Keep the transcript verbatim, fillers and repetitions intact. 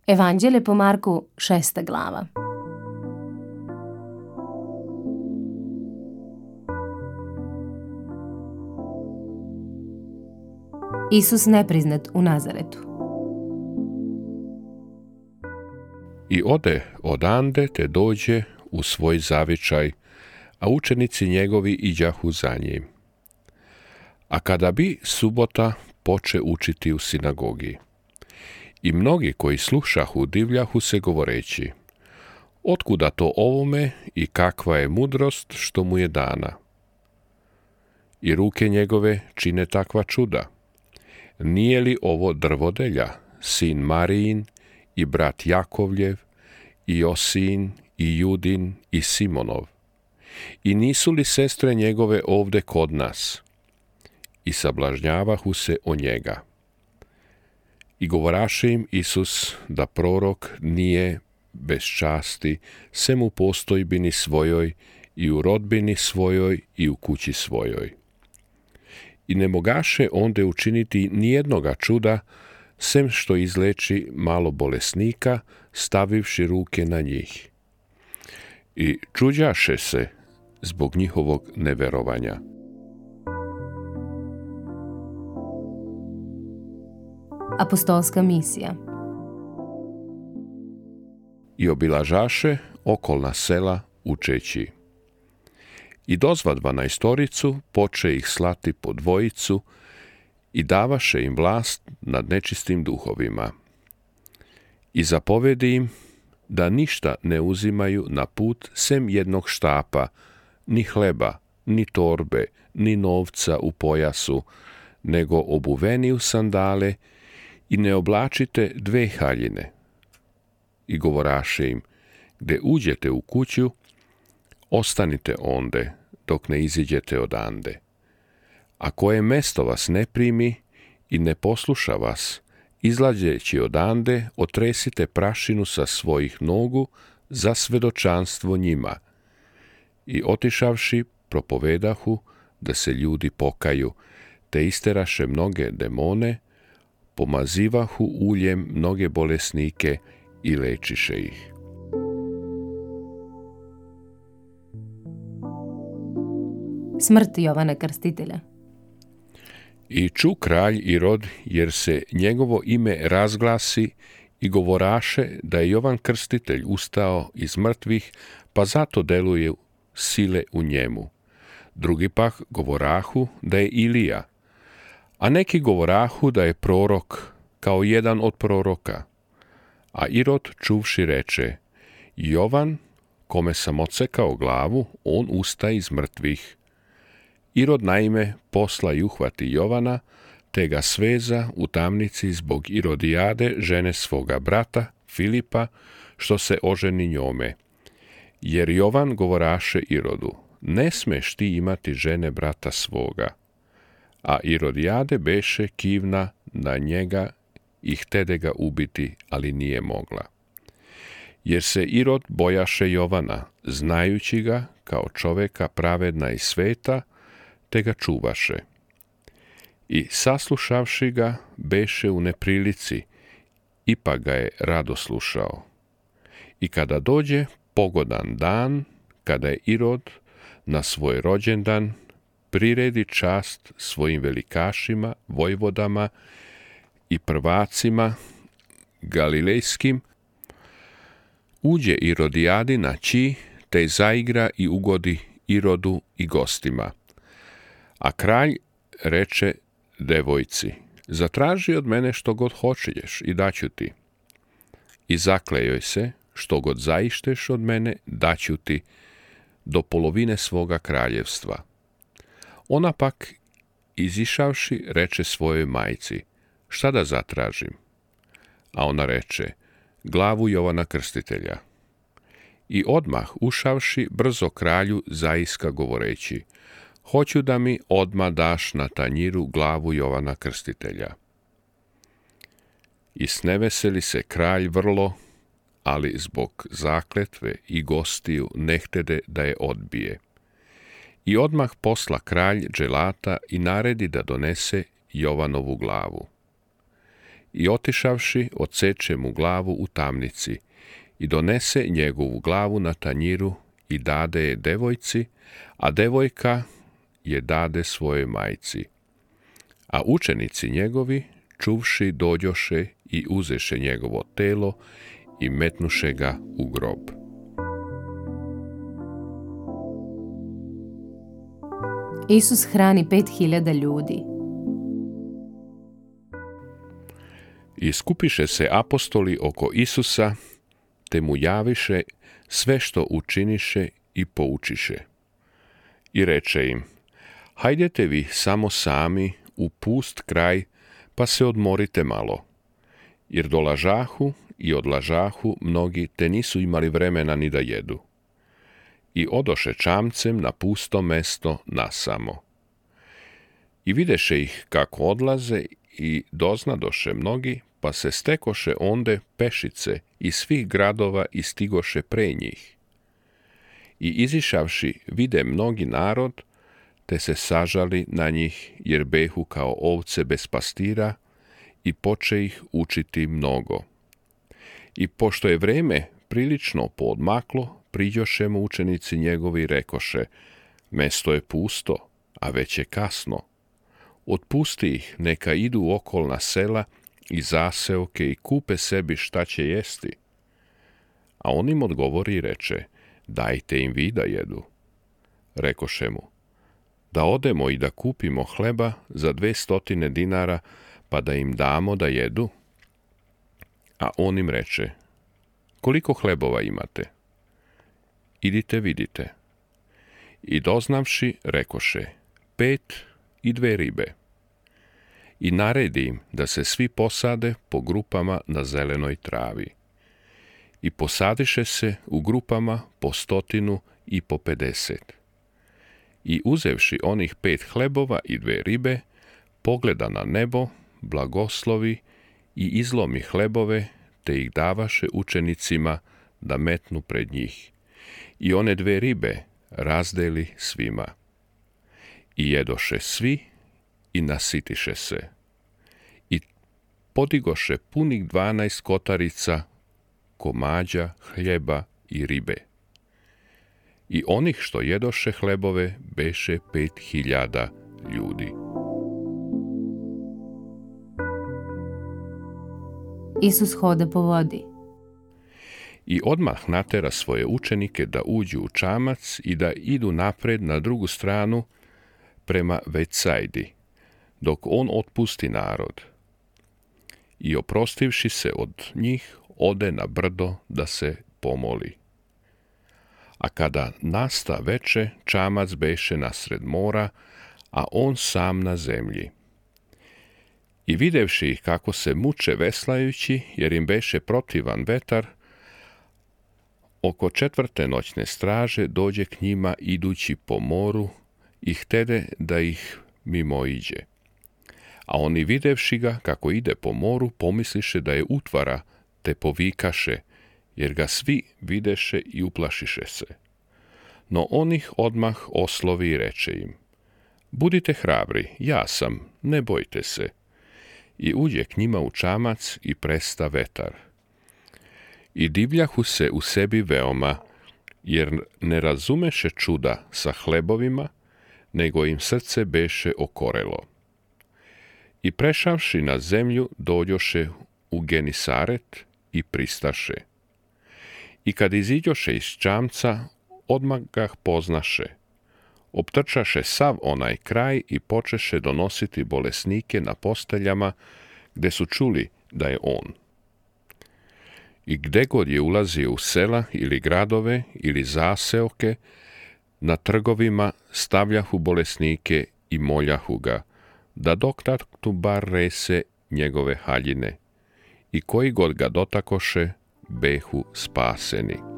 Evanđelje po Marku, šesta glava. Isus nepriznat u Nazaretu. I ode odande te dođe u svoj zavičaj, a učenici njegovi iđahu za njim. A kada bi subota, poče učiti u sinagogi. I mnogi koji slušahu divljahu se govoreći: otkuda to ovome i kakva je mudrost što mu je dana? I ruke njegove čine takva čuda. Nije li ovo drvodelja, sin Marijin i brat Jakovljev, i Josin, i Judin, i Simonov? I nisu li sestre njegove ovde kod nas? I sablažnjavahu se o njega. I govoraše im Isus da prorok nije bez časti, sem u postojbini svojoj, i u rodbini svojoj, i u kući svojoj. I ne mogaše onde učiniti nijednoga čuda, sem što izleči malo bolesnika, stavivši ruke na njih. I čuđaše se zbog njihovog neverovanja. Apostolska misija. I obilažaše okolna sela učeći. I dozva dvanaestoricu, poče ih slati po dvojicu i davaše im vlast nad nečistim duhovima. I zapovedi im da ništa ne uzimaju na put sem jednog štapa, ni hleba, ni torbe, ni novca u pojasu, nego obuveni u sandale, i ne oblačite dve haljine. I govoraše im: gde uđete u kuću, ostanite onde, dok ne iziđete odande. A koje mesto vas ne primi i ne posluša vas, izlazeći odande, otresite prašinu sa svojih nogu za svedočanstvo njima. I otišavši, propovedahu da se ljudi pokaju, te isteraše mnoge demone, pomazivahu uljem mnoge bolesnike i lečiše ih. Smrt Jovana Krstitelja. I ču kralj Irod, jer se njegovo ime razglasi, i govoraše da je Jovan Krstitelj ustao iz mrtvih, pa zato deluje sile u njemu. Drugi pak govorahu da je Ilija, a neki govorahu da je prorok, kao jedan od proroka. A Irod čuvši reče: Jovan, kome sam odsekao glavu, on usta iz mrtvih. Irod naime posla i uhvati Jovana, te ga sveza u tamnici zbog Irodijade, žene svoga brata, Filipa, što se oženi njome. Jer Jovan govoraše Irodu: ne smeš ti imati žene brata svoga. A Irodijade beše kivna na njega i htede ga ubiti, ali nije mogla. Jer se Irod bojaše Jovana, znajući ga kao čoveka pravedna i sveta, te ga čuvaše. I saslušavši ga, beše u neprilici, ipak ga je rado slušao. I kada dođe pogodan dan, kada je Irod na svoj rođendan, priredi čast svojim velikašima, vojvodama i prvacima galilejskim, uđe Irodijadi na ći, te zaigra i ugodi Irodu i gostima. A kralj reče devojci: zatraži od mene što god hoćeš i daću ti. I zaklejoj se: što god zaišteš od mene, daću ti, do polovine svoga kraljevstva. Ona pak, izišavši, reče svojoj majci: šta da zatražim? A ona reče: glavu Jovana Krstitelja. I odmah ušavši, brzo kralju zaiska govoreći: hoću da mi odmah daš na tanjiru glavu Jovana Krstitelja. I sneveseli se kralj vrlo, ali zbog zakletve i gostiju ne htede da je odbije. I odmah posla kralj dželata i naredi da donese Jovanovu glavu. i otišavši odseče mu glavu u tamnici i donese njegovu glavu na tanjiru i dade je devojci, a devojka je dade svojoj majci. A učenici njegovi, čuvši, dođoše i uzeše njegovo telo i metnuše ga u grob. Isus hrani pet hiljada ljudi. I skupiše se apostoli oko Isusa, te mu javiše sve što učiniše i poučiše. I reče im, hajdete vi samo sami u pust kraj, pa se odmorite malo, jer dolažahu i odlažahu mnogi, te nisu imali vremena ni da jedu. I odoše čamcem na pusto mesto nasamo. I videše ih kako odlaze i doznadoše mnogi, pa se stekoše onde pešice iz svih gradova i stigoše pre njih. I izišavši vide mnogi narod, te se sažali na njih, jer behu kao ovce bez pastira, i poče ih učiti mnogo. I pošto je vreme prilično poodmaklo, priđoše mu učenici njegovi i rekoše, mesto je pusto, a već je kasno. Otpusti ih, neka idu u okolna sela i zaseoke i kupe sebi šta će jesti. A on im odgovori i reče, dajte im vi da jedu. Rekoše mu, da odemo i da kupimo hleba za dve stotine dinara, pa da im damo da jedu? A on im reče, koliko hlebova imate? Idite vidite. I doznavši, rekoše, pet i dve ribe. I naredi im da se svi posade po grupama na zelenoj travi. I posadiše se u grupama po stotinu i po pedeset. I uzevši onih pet hlebova i dve ribe, pogleda na nebo, blagoslovi i izlomi hlebove, te ih davaše učenicima da metnu pred njih. I one dve ribe razdeli svima. I jedoše svi i nasitiše se. I podigoše punih dvanaest kotarica komađa, hljeba i ribe. I onih što jedoše hlebove beše pet hiljada ljudi. Isus hoda po vodi. I odmah natera svoje učenike da uđu u čamac i da idu napred na drugu stranu prema Vecajdi, dok on otpusti narod. I oprostivši se od njih, ode na brdo da se pomoli. A kada nasta veče, čamac beše nasred mora, a on sam na zemlji. I videvši ih kako se muče veslajući, jer im beše protivan vetar, oko četvrte noćne straže dođe k njima idući po moru i htede da ih mimoiđe. A oni videvši ga kako ide po moru, pomisliše da je utvara, te povikaše, jer ga svi videše i uplašiše se. No on ih odmah oslovi i reče im, budite hrabri, ja sam, ne bojte se. I uđe k njima u čamac i presta vetar. I divljahu se u sebi veoma, jer ne razumeše čuda sa hlebovima, nego im srce beše okorelo. I prešavši na zemlju, dođoše u Genisaret i pristaše. I kad iziđoše iz čamca, odmah ga poznaše. Optrčaše sav onaj kraj i počeše donositi bolesnike na posteljama, gde su čuli da je on. I gde god je ulazio u sela ili gradove ili zaseoke, na trgovima stavljahu bolesnike i moljahu ga, da dotaknu bar rese njegove haljine. I koji god ga dotakoše, behu spaseni.